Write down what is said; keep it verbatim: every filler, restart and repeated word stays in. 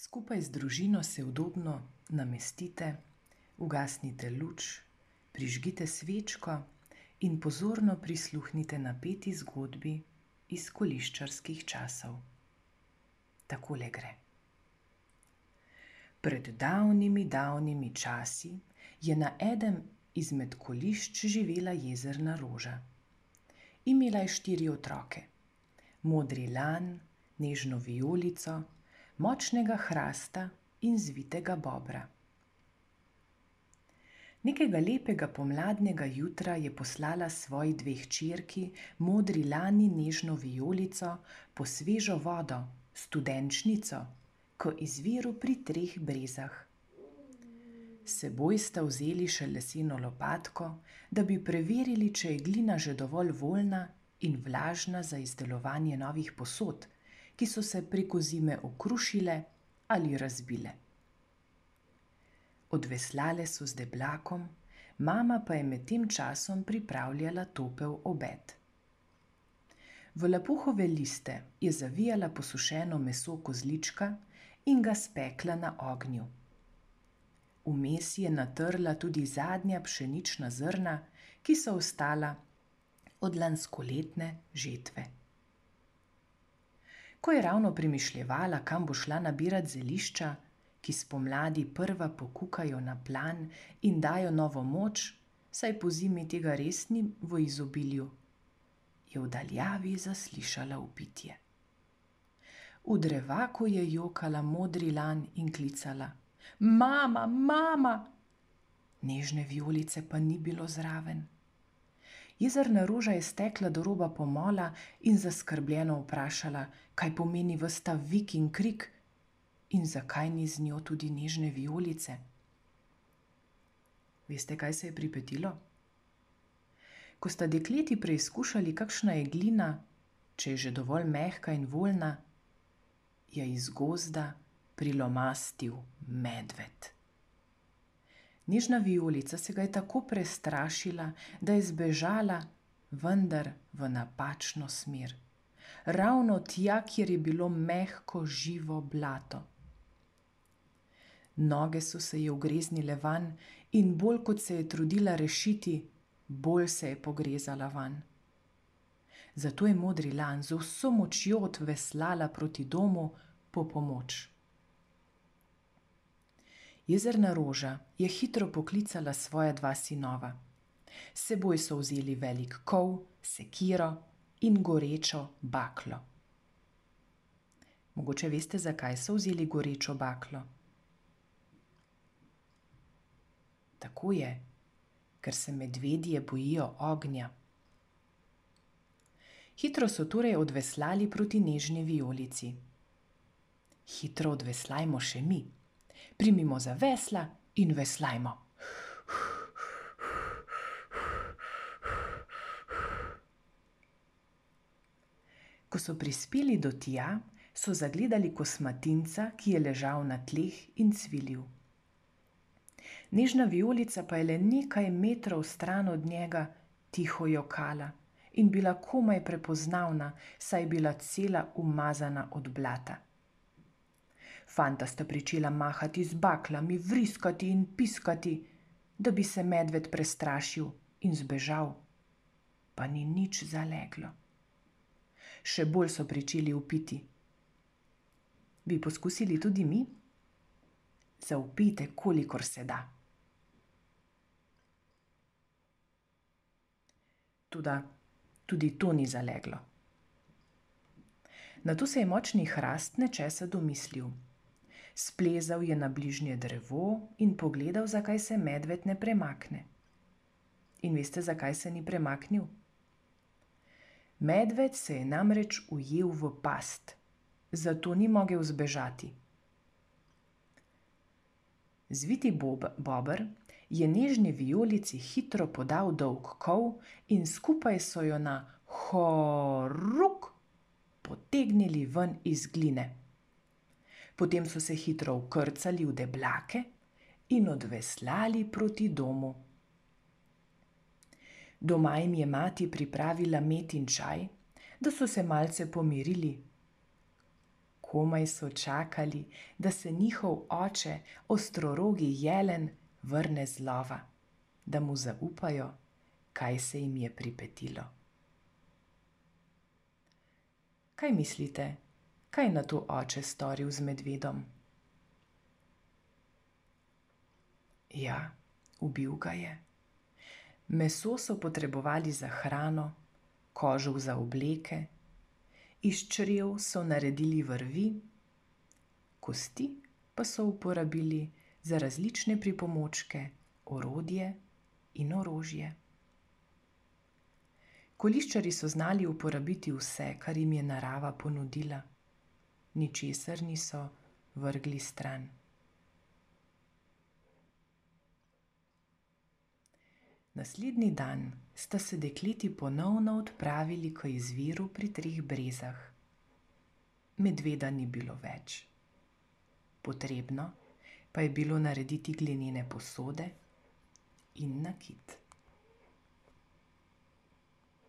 Skupaj z družino se udobno namestite, ugasnite luč, prižgite svečko in pozorno prisluhnite napeti zgodbi iz koliščarskih časov. Takole gre. Pred davnimi, davnimi časi je na enem izmed kolišč živela jezerna roža. Imela je štiri otroke: modri lan, nežno vijolico, močnega hrasta in zvitega bobra. Nekega lepega pomladnega jutra je poslala svoji dve hčerki, modri lan in nežno vijolico, po svežo vodo, studenčnico, k izviru pri Treh brezah. S seboj sta vzeli še leseno lopatko, da bi preverili, če je glina že dovolj voljna in vlažna za izdelovanje novih posod, ki so se preko zime okrušile ali razbile. Odveslale so z deblakom, mama pa je med tem časom pripravljala topel obed. V lapuhove liste je zavijala posušeno meso kozlička in ga spekla na ognju. Vmes je natrla tudi zadnja pšenična zrna, ki so ostala od lanskoletne žetve. Ko je ravno premišljevala, kam bo šla nabirat zelišča, ki spomladi prva pokukajo na plan in dajo novo moč, saj pozimi tega res ni v izobilju, je v daljavi zaslišala vpitje. V drevaku je jokala modri lan in klicala: Mama, mama! Nežne vijolice pa ni bilo zraven. Jezerna roža je stekla do roba pomola in zaskrbljeno vprašala, kaj pomeni ves ta vik in krik in zakaj ni z njo tudi nežne vijolice. Veste, kaj se je pripetilo? Ko sta dekleti preizkušali, kakšna je glina, če je že dovolj mehka in voljna, je iz gozda prilomastil medved. Nežna vijolica se ga je tako prestrašila, da je zbežala, vendar v napačno smer. Ravno tja, kjer je bilo mehko, živo blato. Noge so se ji ugreznile vanj in bolj kot se je trudila rešiti, bolj se je pogrezala vanj. Zato je modri lan z vso močjo odveslala proti domu po pomoč. Jezerna roža je hitro poklicala svoja dva sinova. S seboj so vzeli velik kol, sekiro in gorečo baklo. Mogoče veste, zakaj so vzeli gorečo baklo? Tako je, ker se medvedje bojijo ognja. Hitro so torej odveslali proti nežni vijolici. Hitro odveslajmo še mi. Primimo za vesla in veslajmo. Ko so prispeli do tja, so zagledali kosmatinca, ki je ležal na tleh in cvilil. Nežna vijolica pa je le nekaj metrov stran od njega tiho jokala in bila komaj prepoznavna, saj je bila cela umazana od blata. Fanta sta pričela mahati z baklami, vriskati in piskati, da bi se medved prestrašil in zbežal, pa ni nič zaleglo. Še bolj so pričeli vpiti. Bi poskusili tudi mi? Zavpijte, kolikor se da. Toda tudi to ni zaleglo. Nato se je močni hrast nečesa domislil. Splezal je na bližnje drevo in pogledal, zakaj se medved ne premakne. In veste, zakaj se ni premaknil? Medved se je namreč ujel v past, zato ni mogel zbežati. Zviti bob, bober je nežni vijolici hitro podal dolg kol in skupaj so jo na horuk potegnili ven iz gline. Potem so se hitro vkrcali v deblake in odveslali proti domu. Doma jim je mati pripravila med in čaj, da so se malce pomirili. Komaj so čakali, da se njihov oče, ostrorogi jelen, vrne z lova, da mu zaupajo, kaj se jim je pripetilo. Kaj mislite, kaj je nato oče storil z medvedom? Ja, ubil ga je. Meso so potrebovali za hrano, kožo za obleke, iz črev so naredili vrvi, kosti pa so uporabili za različne pripomočke, orodje in orožje. Koliščarji so znali uporabiti vse, kar jim je narava ponudila. Ničesar niso vrgli stran. Naslednji dan sta se dekleti ponovno odpravili k izviru pri Treh brezah. Medveda ni bilo več. Potrebno pa je bilo narediti glinene posode in nakit.